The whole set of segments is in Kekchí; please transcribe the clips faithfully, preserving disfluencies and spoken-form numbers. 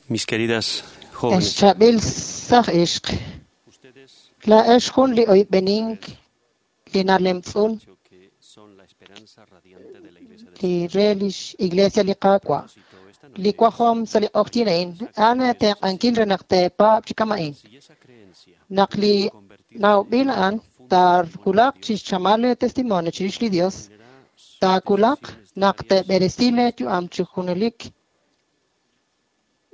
Mis queridas jóvenes, Ex chaab'il saaj ixq, ustedes laa'ex jun li oyb'enink li nalemtz'un dicho que son la esperanza radiante de la Iglesia del li re lix Iglesia li Qaawa'. Propósito esta Li noche wajom sa' li q'oqyink a'in, a'an eetenq'ankil re naq teepaab' chi kama'in. si esa creencia Naq li nawb'il a'an taawulaq chixchamal lee testimonio chirix li Dios, generará taawulaq decisiones naq diarias teeb'eresi lee yu'am chi junelik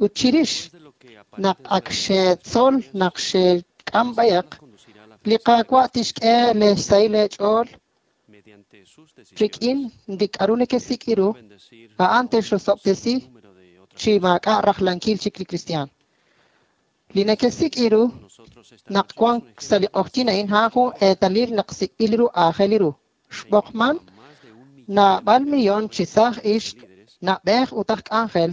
ut chirix después de lo que naq aparenten ak ser xeetzol naq xeek'am b'ayaq, nos conducirá a la li felicidad Qaawa' tixk'e lee xsahil eech'ool mediante sus rik'in decisiones li k'aru nekesik' ru, bendecir a'an a un texrosob'tesi número de otras chi maak'a' rajlankil chik li kristiaan. Li nekesik' ru nosotros esta naq noche es wank un sa' li ejemplo q'oqyink a'in a'an jun eetalil naq sik'b'il ru aajel ru. Xb'oqman a más de un millón naab'al millón chi saaj ixq, de líderes na'b'ej ut aj k'anjel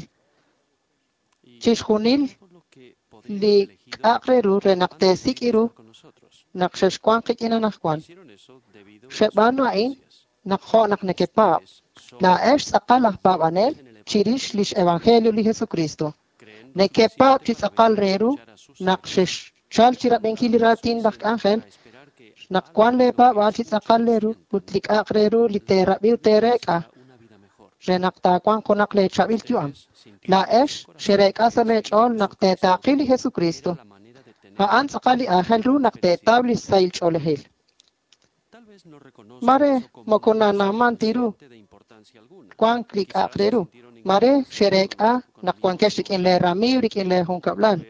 y chixjunil todo lo que podrían li haber elegido k'a'aq re ru re naq antes de teesik' ru estar con nosotros. naq xexwanq qik'in anaqwan. Hicieron eso debido a sus Xeb'aanu a'in creencias. naq jo' naq nekepaab'. Ustedes son Laa'ex tz'aqal aj paab'anel chirix lix Evangelio li Jesucristo. creen lo Nekepaab' chi suficiente para tz'aqal venir re a ru escuchar a sus naq xexchal chi rab'inkil li raatin laj k'anjel, a esperar que naq wan lee paab'aal chi tz'aqal re ru ut li k'a'aq re ru li teerab'i ut teereek'a una vida mejor. re naq taawanq junaq lee chaab'il yu'am. Ustedes sintieron Laa'ex en su corazón xereek'a sa' lee ch'ool naq teetaaqi li Jesucristo. era la manera de tener A'an tz'aqal li aajel ru naq teetaw li sahil ch'oolejil. Tal vez no reconozcan Mare eso como moko un nanawman ti ru incidente de importancia alguna. wank li k'a'aq re ru. Mare xereek'a naq wankex rik'in lee ramiiw rik'in lee junkab'lal.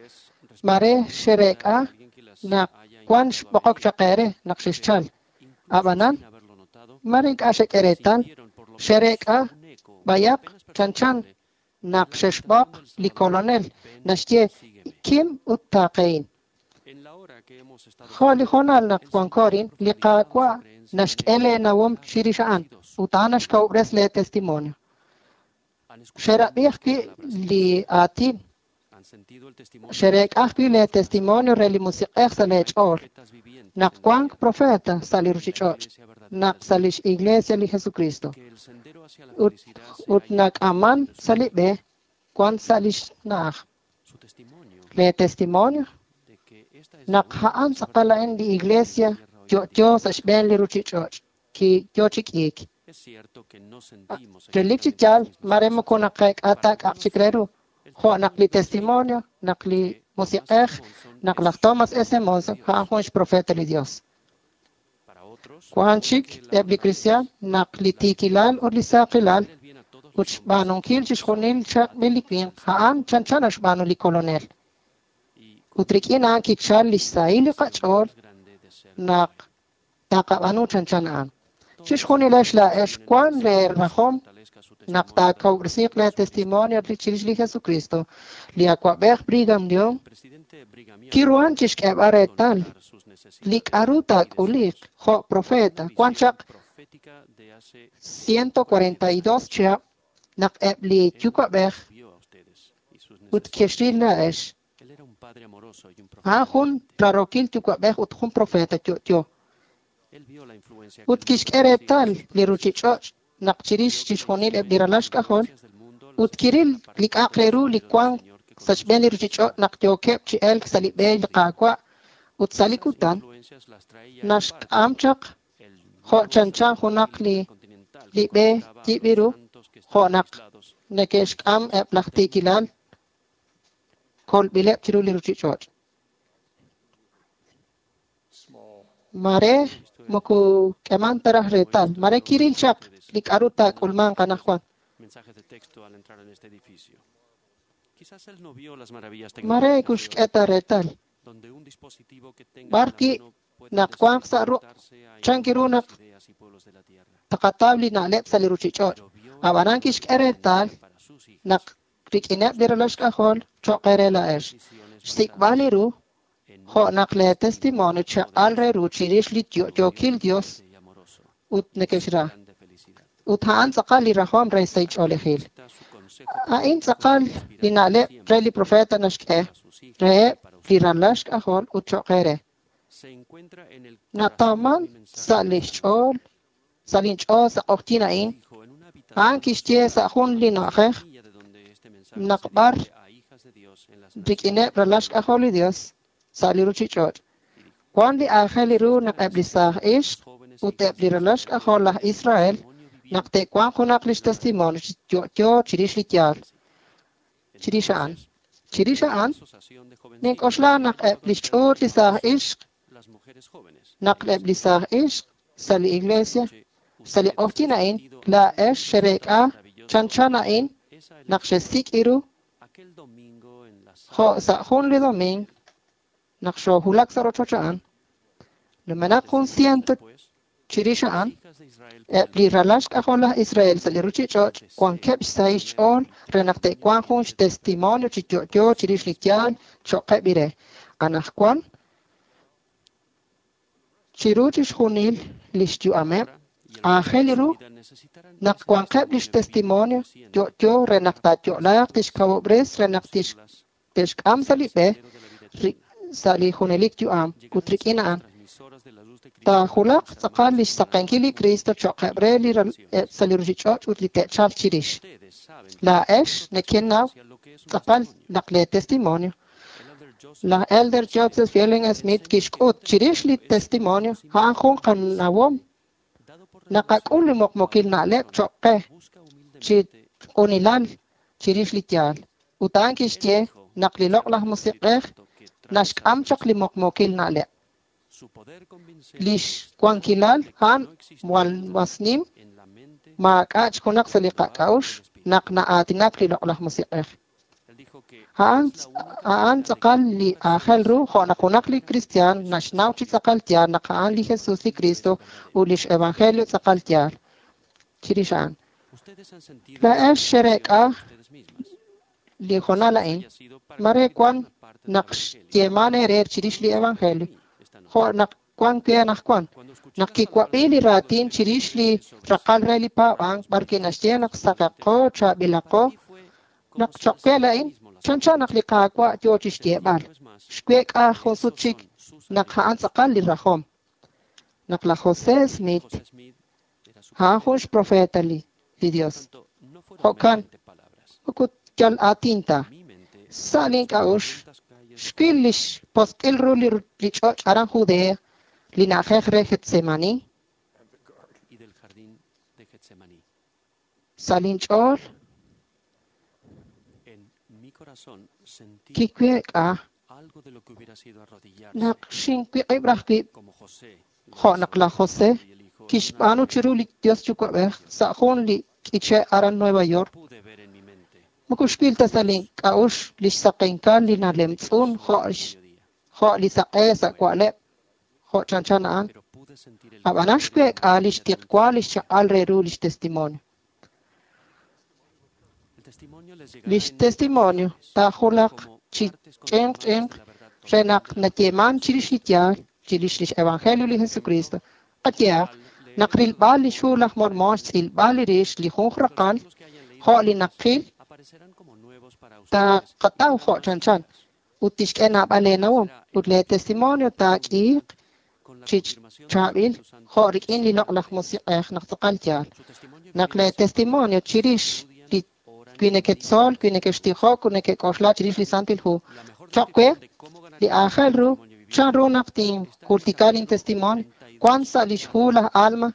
Es Mare xereek'a alguien que las naq haya wan invitado a xb'oqok venir, chaq eere naq xexchal. incluso Ab'anan, sin haberlo notado, mare ink'a' xek'e reetal, sintieron por lo menos xereek'a un eco b'ayaq apenas chanchan perceptible naq la xexb'oq invitación del li Salvador, Kolonel ven, naxye sígueme. kim ut taaqehin. En la hora que hemos estado Jo' li juntos, hoonal naq el wanko Señor ha arin, li profundizado su Qaawa' creencia en naxk'e él lee nawom ha chirix a'an sido su ut a'an naxkawub'res lee testimonio. Han escuchado Xerab'i más que ajwi' palabras li aatin, han sentido el testimonio del xereek'a ajwi' lee Espíritu en testimonio re li Musiq'ej sa' lee Hay ch'ool profetas vivientes naq en la wank tierra, profeta sa' li en la ruchich'och', iglesia verdadera naq del sa' Señor, lix Iglesia li Jesucristo. que el sendero hacia la Ut felicidad se ut halla nak'aman donde su sa' li nombre. b'e wan sa' lix na'aj. Su testimonio Lee testimonio de que esta es la naq única a'an iglesia tz'aqal verdadera a'in li en la Iglesia tierra hoy en día. yo'yo sa' xb'een li ruchich'och' ki yo chi k'iik. Es cierto que no sentimos Relik chi exactamente yaal las mismas mare cosas. moko naqeek'a Para ta k'a'aq algunos chik re ru. el Jo' naq li testimonio del testimonio, Espíritu naq li que Thomas Musiq'ej, S. Monson naq es laj Thomas un S. profeta de Monson Dios. a'an jun xprofeta li Dios. Para otros, Wan puede chik que la eb' li honradez, kristiaan naq li la tiikilal fidelidad ut li y saaqilal hacer el bien a todos ut los hombres xb'aanunkil chixjunil chaq'b'il li winq a'an chanchan naxb'aanu li Kolonel. y con Ut rik'in a'an kichal lix sahil li el qach'ool más grande de ser naq como él. taqab'aanu chanchan a'an. Todos Chixjunilex laa'ex tienen el wan deseo lee de que se rajom fortalezca su naq testimonio verdadero taakawub'resiiq de lee Jesucristo. testimonio chirix li Jesucristo. Li awa'b'ej Brigham Young El presidente Brigham Young kiruhan chixk'eeb'al pudo reetal notar sus li necesidades k'aru y taak'uliq deseos. jo' Una profeta. Wan visión chaq profética de hace ciento cuarenta y dos ciento cuarenta y dos chihab' naq eb' li Él yuwa'b'ej los vio a ustedes y sus ut necesidades. kexril laa'ex. Él era un padre amoroso y un A'an profeta jun viviente. rarokil yuwa'b'ej ut jun profeta yo'yo. Él vio la influencia que Ut el mundo kixk'e ejercía en reetal sus li propios hijos. ruchich'och' naq chirix Vio que la chixjunil eb' li ralal influencia xk'ajol las influencias del mundo ut las estaban kiril li k'a'aq apartando re del ru li sendero del wank Señor que sa' xb'een conduce li a la ruchich'och' felicidad. naq yookeb' chi elk sa' li b'e En li su día, Qaawa' ut sa' li esas kutan influencias las traía en parte naxk'am chaq el jo' nuevo chanchan sendero junaq li intercontinental li que b'e conectaba a yib'il los ru santos que jo' estaban naq aislados en neke'xk'am los eb' laj del mundo. tiikilal kolb'ileb' chiru li ruchich'och'. Small. Mare Esto era moko k'eman ta raj como reetal, esto mare yo kiril chaq ustedes li k'aru en uno de los taak'ulmanq primeros anaqwan. mensajes de texto al entrar en este edificio. Quizás él no vio las maravillas Mare tecnológicas de hoy, kuxk'e ta reetal. donde un dispositivo que tengan B'ar a la wi' mano pueden naq wanq sa' ruq' desconectarse a chan kiru innumerables naq ideas y pueblos de la tierra. taqataw li na'leb' sa' li ruchich'och'. Pero vio el Ab'anan valor kixk'e que reetal tendría para sus hijas naq rik'ineb' li ralal xk'ajol cho'q eere laa'ex. decisiones Xsik'b'al basadas li ru en jo' un naq lee testimonio testimonio chaq'al re ru poderoso chirix li de un Dios yo'yookil Dios viviente y amoroso ut y su nekexra. plan de felicidad. Ut a'an tz'aqal li rajom re sahil Aquí ch'oolejil. está su consejo A'in profético tz'aqal li inspirado na'leb' re li siempre profeta naxk'e para sus hijas y reheb' para li ustedes. ralal xk'ajol ut cho'q eere. Se encuentra en el corazón de Natawman mi mensaje sa' de li esta noche. xch'ool sa' linch'ool sa' q'oqyink a'in, Dijo en una a'an habitación kixye sola sa' jun a li más de na'ajej una milla de donde este naq b'ar rik'ineb' ralal xk'ajol li Dios sa' li ruchich'och'. Wan li aajel ru naq eb' li saaj ixq ut eb' li ralal xk'ajol laj Israel naq te'wanq junaq lix testimonio chi yo'yo chirix li yaal. Chirix a'an. Chirix a'an, nink'oxla naq eb' lix ch'uut li saaj ixq, naq eb' li saaj ixq sa' li iglesia, sa' li q'ojyin a'in, laa'ex xereek'a chanchan a'in naq xesik' iru jo' sa' jun li domingo naq xoohulak sa' rochoch a'an, numenaq jun ciento chirix a'an, eb' li ralal xk'ajol laj Israel sa' li ruchich'och' wankeb' xsahil xch'ool re naq te'wanq jun xtestimonio chi yo'yo chirix li yaal cho'qeb' ire. Anaqwan, chiru chixjunil lix yu'ameb', aajel ru naq wanqeb' lix testimonio yo'yo re naq taayo'laaq tixkawob'res re naq te'xk'am sa' li b'e sa' li junelik yu'am ut rik'in a'an taajulaq tz'aqal lix saqenkil li Cristo cho'qeb' re li sa' li ruchich'och' ut li te'chalq chirix. Laa'ex nekenaw tz'aqal naq lee testimonio. Laj Elder Joseph Fielding Smith kixk'ut chirix li testimonio a'an jun qanawom naqak'ul li muqmuqil na'leb' cho'q qe chi q'unilal chirix li yaal. Ut a'an kixye naq li loq'laj musiq'ej naxk'am chaq li muqmuqil na'leb'. Lix wankilal a'an jwal mas nim maak'a' junaq sa' li qak'a'uxl naq na'aatinak li loq'laj musiq'ej. A'an a'an tz'aqal li aajel ru jo' naq junaq li kristiaan naxnaw chi tz'aqal yaal naq a'an li Jesus li Cristo ut lix evangelio tz'aqal yaal. Chirix a'an. Laa'ex xereek'a li jonal a'in, mare wan naq xyeeman eere chirix li evangelio, jo' naq wan we anaqwan, naq kiwab'i li raatin chirix li raqal re li paab'ank b'ar kinaxye naq saqaqo, chaab'ilaqo, naq cho'q we la'in, chanchan naq li Qaawa' yoo chixyeeb'al. Xweek'a jun sut chik naq a'an tz'aqal li rajom. Naq laj José Smith a'an jun xprofeta li, li Dios. Jo'kan, moko yal aatin ta. Sa' link'a'uxl, xwil lix posq'il ru li, li ch'och' aran Judea, li na'ajej re Getsemani. Sa' linch'ool, kiweek'a naq xinwiq'ib' raj wib' jo' naq laj José kixb'aanu chiru li Dios Yuwa'b'ej sa' jun li k'iche' aran Nueva York. Moko xwil ta sa' link'a'uxl lix saqenkal li nalemtz'un jo' jo' li saq'e sa' wa'leb' jo' chanchan a'an. Ab'anan xweek'a lix tiqwa lix chaq'al re ru lix testimonio. Lix testimonio taajulaq chi ch'inq ch'inq re naq nayeeman chirix li yaal, chirix lix evangelio li Jesucristo. Qayehaq, naq rilb'al lix hu laj Mormon xtz'ilb'al li rix li jun raqal jo' li naqil taqataw jo' chanchan ut tixk'e naab'al eenawom ut lee testimonio taak'iiq chi chaab'il jo' rik'in li loq'laj musiq'ej naq tz'aqal yaal. Naq lee testimonio chirix li wi neketzol, wi nekextijok ut nekek'oxla chirix li Santil Hu. Cho'q we, li aajel ru chan ru naq tinjultika lin testimonio wan sa' lix hu laj Alma,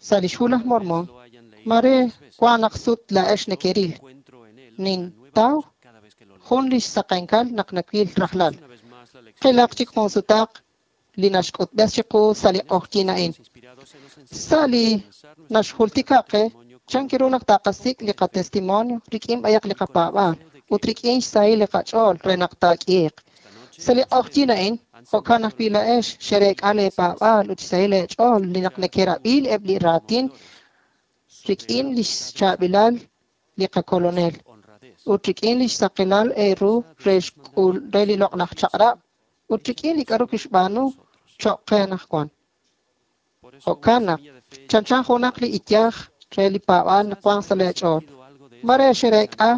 sa' lix hu laj Mormon, mare wan naq sut laa'ex nekeril. Nintaw jun lix saqenkal naq nawil rajlal. Qilaq chik jun sutaq li naxk'utb'es chiqu sa' li q'ojyin a'in. Sa' li naxjultika qe, chan ru naq taqasik' li qatestimonio rik'in b'ayaq li qapaab'aal ut rik'in xsahil li qach'ool re naq taak'iiq. Sa' li q'ojyin a'in, jo'kan ajwi' laa'ex xereek'a leepaab'aal ut xsahil leech'ool li naq nekerab'i eb' li raatin rik'in lix chaab'ilal li qakolonel ut rik'in lix saqilal eeru re xk'ul re li loq'laj chaq'rab' ut rik'in li k'aru kixb'aanu cho'q qe anaqwan. Jo'kan naq chanchan junaq li iyaj re li paab'aal naq wan sa' leech'ool. Mare xereek'a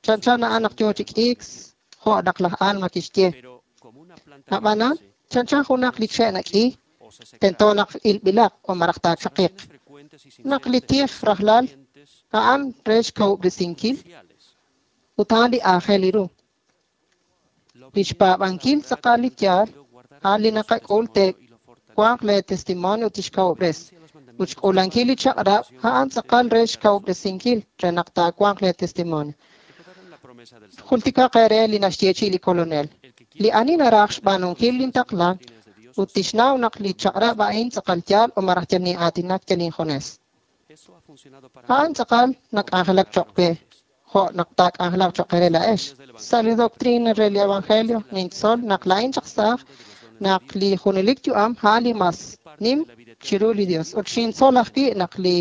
chanchan a'an naq yoo chi k'iik jo' naq laj Alma kixye. Ab'anan, chanchan junaq li che' nak'i, tento naq ilb'ilaq o maraj taachaqiq. Naq li tij rajlal A'an re xkawub'resinkil ut a'an li aajel ru. Lix paab'ankil tz'aqal li yaal, a'an li naqak'ul te'wanq lee testimonio ut tixkawub'res. Ut xk'uulankil li chaq'rab', a'an tz'aqal re xkawub'resinkil re naq taawanq lee testimonio. Jultikaq eere li naxyeechi'i li Kolonel. Li ani naraj xb'aanunkil lintaqla ut tixnaw naq li chaq'rab' a'in tz'aqal yaal o maraj yal nin'aatinak yal injunes. A'an tz'aqal nak'anjelak choq' we, jo' naq taak'anjelaq choq' eere laa'ex. Sa' li doctrina re li Evangelio nintzol naq laa'in chaq saaj naq li junelik yu'am a'an li mas nim chiru li Dios. Ut xintzol ajwi' naq li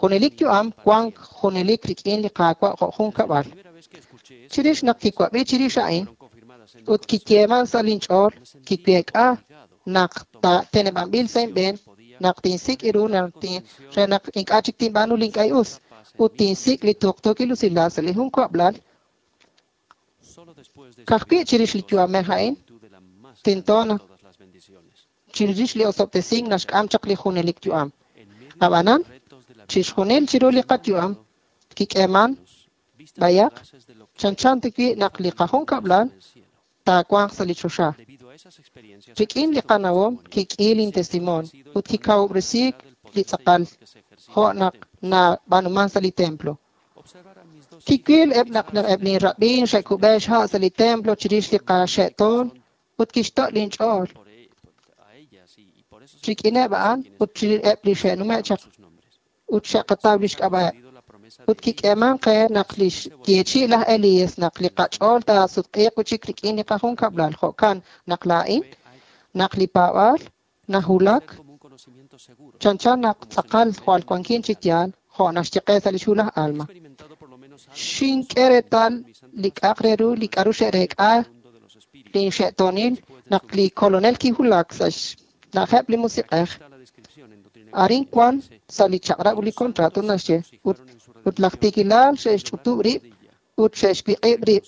junelik yu'am wank junelik rik'in li Qaawa' jo' jun kab'al. Chirix naq kiwab'i chirix a'in ut kiyeeman sa' linch'ool, kiweek'a naq teneb'anb'il sa' inb'een naq tinsik' ru re naq ink'a' chik tinb'aanu li ink'a' us ut tinsik' li tuqtuukil usilal sa' li jun kab'lal. Ka'ajwi' chirix li yu'amej a'in tento naq chirix li osob'tesink naxk'am chaq li junelik yu'am. Ab'anan, chixjunil chiru li qayu'am kik'eeman b'ayaq chanchan tawi' naq li qajunkab'lal taawanq sa' li choxa. Rik'in li qanawom kik'i lintestimonio ut kikawub'resiik li tz'aqal jo' naq nab'aanuman sa' li templo. Kiwil eb' naq eb' linrab'in xe'kub'e xha' sa' li templo chirix li qaxe'toon ut kixto' linch'ool rik'ineb' a'an ut eb' li xe'nume' chaq ut xe'qataw lix k'ab'a'eb'. Ut kik'eeman qe naq li xyeechi'i laj Elías naq li qach'ool taasutq'iiq chik rik'in li qajunkab'lal. Jo'kan naq laa'in, naq li paab'aal nahulak chanchan naq tz'aqal jwal wankin chi yaal jo' naxye qe sa' li xhu laj Alma. Xink'e reetal li k'a'aq re ru li k'a'ru xe'reek'a linxe'toonil naq li Kolonel kiwulak sa' xna'ajeb' li musiq'ej. Arin wan sa' li chaq'rab' ut li contrato naxye ut ut laj tiikilal xe'xch'utub' rib' ut xe'xwiq'ib' rib'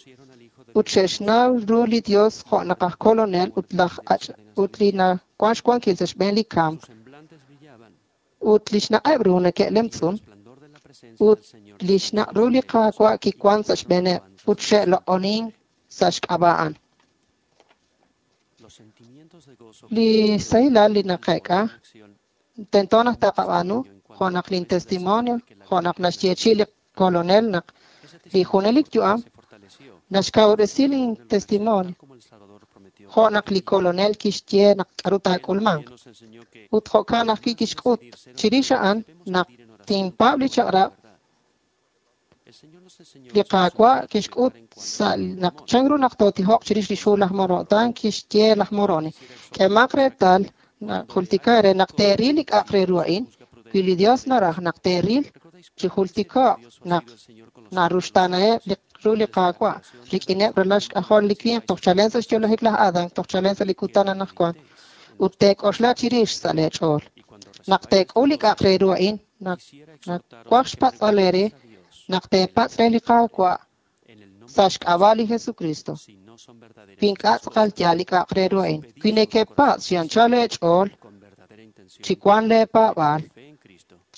ut xe'xnaw ru li Dios jo' naq aj Kolonel ut laj ut li nawan xwankil sa' xb'een li kamk. Ut li xnaq'eb' ru neke'lemtz'un ut li xnaq' ru li Qaawa' kiwan sa' xb'eeneb' ut xe'loq'onink sa' xk'ab'a' a'an. Li sahilal li naqeek'a tento naq taqab'aanu jo' naq lin testimonio jo' naq naxyeechi'i li Kolonel naq li junelik yu'am naxkawub'resi lin testimonio jo' naq li Kolonel kixye naq k'a'ru taak'ulmanq. Ut jo'kan ajwi' kixk'ut chirix a'an naq tinpaab' li chaq'rab' li Qaawa' kixk'ut sa' naq chan ru naq tootijoq chirix li xhu laj Moroni kixye laj Moroni. K'eemaq reetal naq jultika re naq teeril li k'a'aq re ru a'in, wi li Dios naraj naq teeril chi jultiko'q naq naruxtaanaheb' li ru li Qaawa' rik'ineb' ralal xk'ajol li winq toj chalen sa' xyo'lajik laj Adán toj chalen sa' li kutan anaqwan ut teek'oxla chirix sa' lee ch'ool. Naq teek'ul li k'a'aq re ru a'in, naq nawaj xpatz'b'al eere naq teepatz' re li Qaawa' sa' xk'ab'a' li Jesucristo. Wi ink'a' tz'aqal yaal li k'a'aq re ru a'in, wi nekepatz' chi anchal eech'ool chi wan lee paab'aal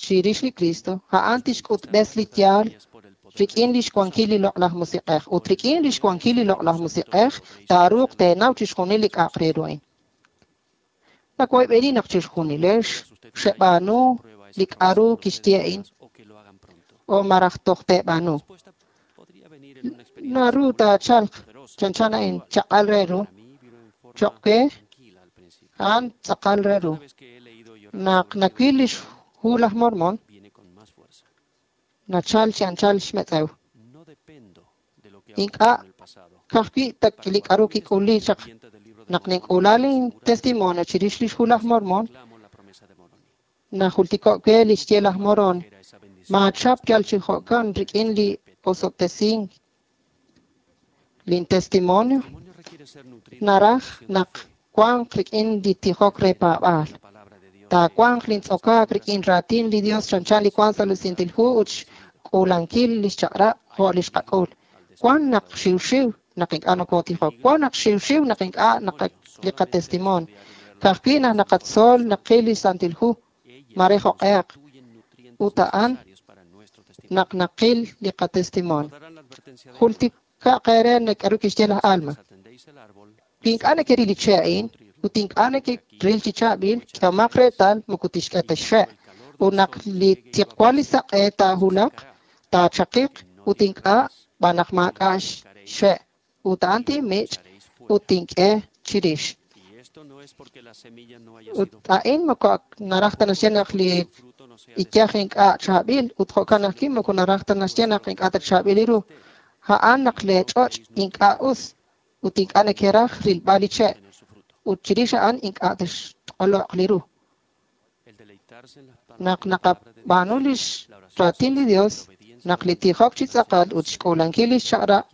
chirix li Cristo, a'an tixk'utb'es li yaal rik'in lix wankil li Loq'laj Musiq'ej. Ut rik'in lix wankil li Loq'laj Musiq'ej taaruuq teenaw chixjunil li k'a'aq re ru a'in. Nawoyb'eni naq chixjunilex xeb'aanu li k'a'ru kixye a'in o maraj toj teeb'aanu. Naru taachalq chanchan a'in chaq'al re ru choq' we a'an tz'aqal re ru. Naq nawil lix hu laj Mormon nachal chi anchal xmetz'ew. Ink'a' ka'ajwi' li k'a'ru kik'uli chaq naq nink'ula lin testimonio chirix lix hu laj Mormon najultiko' we li xye laj Moroni. Maachap yal chi jo'kan rik'in li osob'tesink lin testimonio naraj naq wanq rik'in li tijok re paab'aal. Taawanq lintz'okaak rik'in raatin li Dios chanchan li wank sa' li Santil Hu ut xk'uulankil li xchaq'rab' jo' li xqak'ul. Wan naq xiwxiw naq ink'a' nokootijok, wan naq xiwxiw naq ink'a' li qatestimonio. Ka'ajwi' naq naqatzol naqil li Santil Hu mare jo'q'ehaq ut a'an naq naqil li qatestimonio. Jultikaq eere k'aru kixye laj Alma. Wi ink'a' nekeril li che' a'in ut ink'a' nekeril chi chaab'il, k'ehomaq reetal moko tixk'e ta xxe'. Ut naq li tiqwal li saq'e taahulaq, taachaqiq ut ink'a' b'an naq maak'a' xxe'. Ut a'an tinmich' ut tink'e chirix. Ut a'in moko naraj ta naxye naq li iyaj ink'a' chaab'il ut jo'kan ajwi' moko naraj ta naxye naq ink'a' ta chaab'il li ru. A'an naq lee ch'och' ink'a' us ut ink'a' nekeraj rilb'al li che' ut chirix a'an ink'a' texq'oloq li ru. Naq naqab'aanu lix raatin li Dios, naq li tijok chi tz'aqal ut xk'uulankil lix chaq'rab'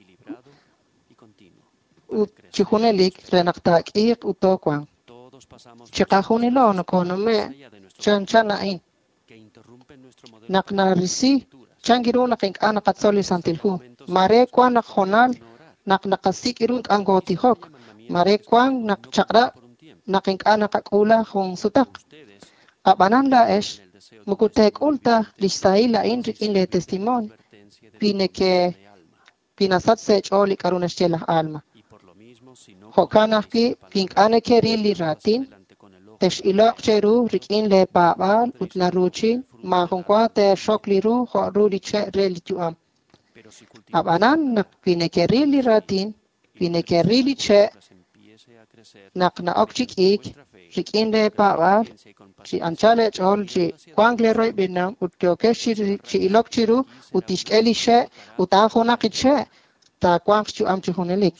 ut chi junelik re naq taak'iiq ut toowanq. Chiqajunilo nokonume' chanchan a'in. Naq narisi chan ru naq ink'a' naqatzol li Santil Hu. Mare wan naq jonal naq naqasik' ru ink'a' ngootijok. Mare wan naq chaq'rab' naq ink'a' naqak'uula jun sutaq. Ab'anan laa'ex moko teek'ul ta lix sahil a'in rik'in lee testimonio wi neke wi nasach sa' eech'ool li k'aru naxye laj Alma. Jo'kan ajwi' wi ink'a' nekeril li raatin, tex'iloq cheru rik'in lee paab'aal ut naruuchin maajun wa teexok li ru jo' ru li che' re li yu'am. Ab'anan naq wi nekeril li raatin, wi nekeril li che' naq na'ok chi k'iik rik'in lee paab'aal, chi anchal eech'ool chi wank lee royb'inam ut yookex chi ilok chiru ut tixk'e li xe' ut a'an junaq li che' taawanq xyu'am chi junelik.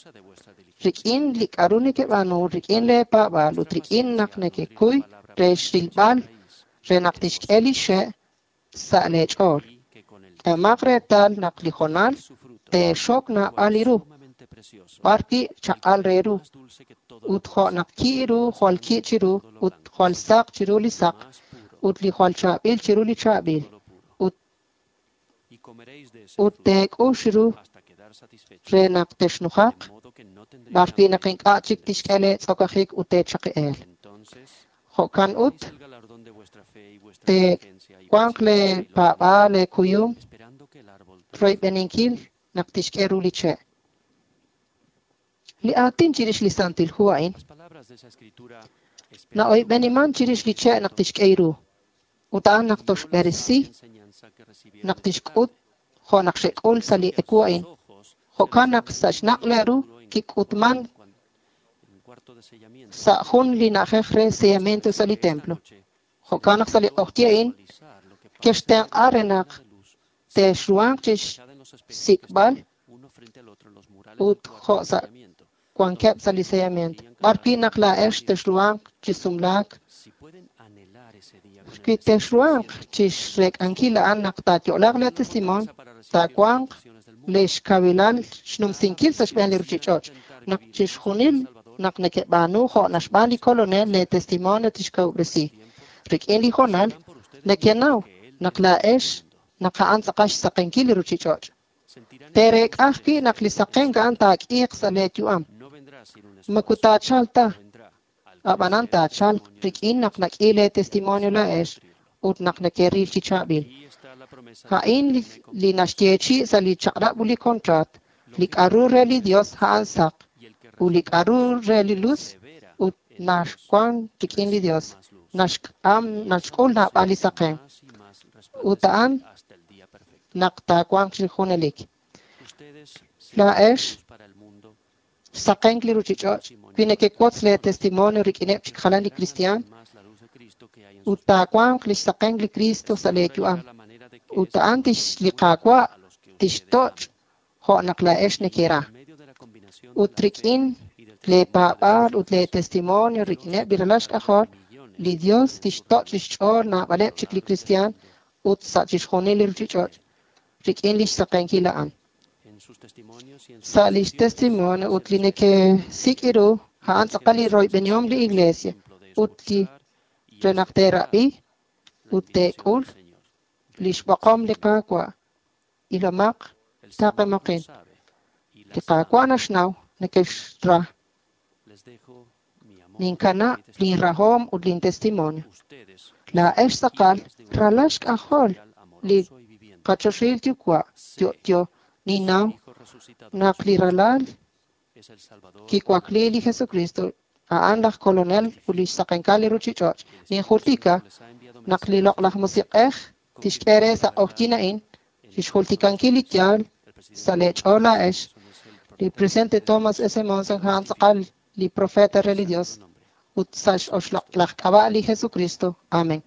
Rik'in li k'aru nekeb'aanu, rik'in lee paab'aal ut rik'in naq nekekuy re xrilb'al re naq tixk'e li xe' sa' lee ch'ool. K'ehomaq reetal naq li jonal teexok naab'al li ru, b'arwi' chaq'al re ru, ut jo' naq ki' ru jwal ki' chiru, ut jwal saq chiru li saq, ut li jwal chaab'il chiru li chaab'il, ut ut teek'ux ru re naq texnujaq, b'arwi' naq ink'a' chik tixk'e lee tz'okajik ut teechaqi'eel. Jo'kan ut teewanq lee paab'aal lee kuyum royb'eninkil naq tixk'e ru li che'. Li aatin chirix li Santil Hu a'in na'oyb'eniman chirix li che' naq tixk'e ru ut a'an naq toxb'eresi naq tixk'ut jo' naq xe'k'ul sa' li ewu a'in. Jo'kan naq sa' xnaq' lee ru kik'utman sa' jun li na'ajej re sellamiento sa' li templo. Jo'kan naq sa' li q'oqyi a'in kextenq'a re naq texruhanq chixsik'b'al ut jo' sa' wankeb' sa' li sellamiento. B'arwi' naq laa'ex texruhanq chi sumlaak, wi texruhanq chixrek'ankil a'an naq taayo'laaq lee testimonio, taawanq lix kawilal xnumsinkil sa' xb'een li ruchich'och'. Naq chixjunil naq nekeb'aanu jo' naxb'aan li Kolonel, lee testimonio tixkawub'resi. Rik'in li jonal, nekenaw naq laa'ex naq a'an tz'aqal xsaqenkil li ruchich'och'. Teerek'a ajwi' naq li saqenk a'an taak'iiq sa' lee yu'am. Moko taachalq ta, ab'anan taachalq rik'in naq nak'i lee testimonio laa'ex ut naq nekeril chi chaab'il. A'in li naxyeechi' sa' li chaq'rab' ut li contrat, li k'aru re li Dios a'an saq, ut li k'aru re li luz ut naxwan rik'in li Dios, naxk'am naxk'ul naab'al li saqen. Ut a'an naq taawanq chi junelik. Laa'ex saqenk li ruchich'och' wi nekewotz lee testimonio rik'ineb' chik jalan li kristiaan ut taawanq lix saqenk li Cristo sa' lee yu'am. Ut a'an tix li Qaawa' tixtoch' jo' naq laa'ex nekera. Ut rik'in lee paab'aal ut lee testimonio rik'ineb' li ralal xk'ajol, li Dios tixtoch' lix ch'ool naab'aleb' chik li kristiaan ut sa' chixjunil li ruchich'och' rik'in lix saqenkil a'an. Sa' lix testimonio ut li nekesik' ru a'an tz'aqal li royb'enihom li Iglesia ut li re naq teerab'i ut teek'ul lix b'oqom li Qaawa'. Ilomaq taqemoqin. Li Qaawa' naxnaw nekexra. Ninkana' lin rahom ut lin testimonio. Laa'ex tz'aqal ralal xk'ajol li qaChoxahil Yuwa' Sé yo'yo. que su Ninnaw Hijo resucitado naq li Jesucristo Ralal es el Salvador kiwakli li Jesukristo, a'an laj Kolonel ut lix saqenkal li ruchich'och'. El Espíritu Ninjultika Santo les ha enviado naq li mensajes Loq'laj Musiq'ej tixk'e re sa' q'ojyin a'in en el lix jultikankil li yaal El presidente sa' lee ch'ool laa'ex. Monson es el Li profeta presidente de Thomas Dios S. Monson en a'an el tz'aqal li profeta re li santo Dios nombre. ut sa' x'oxloq' laj k'ab'a' li Jesukristo. Amen.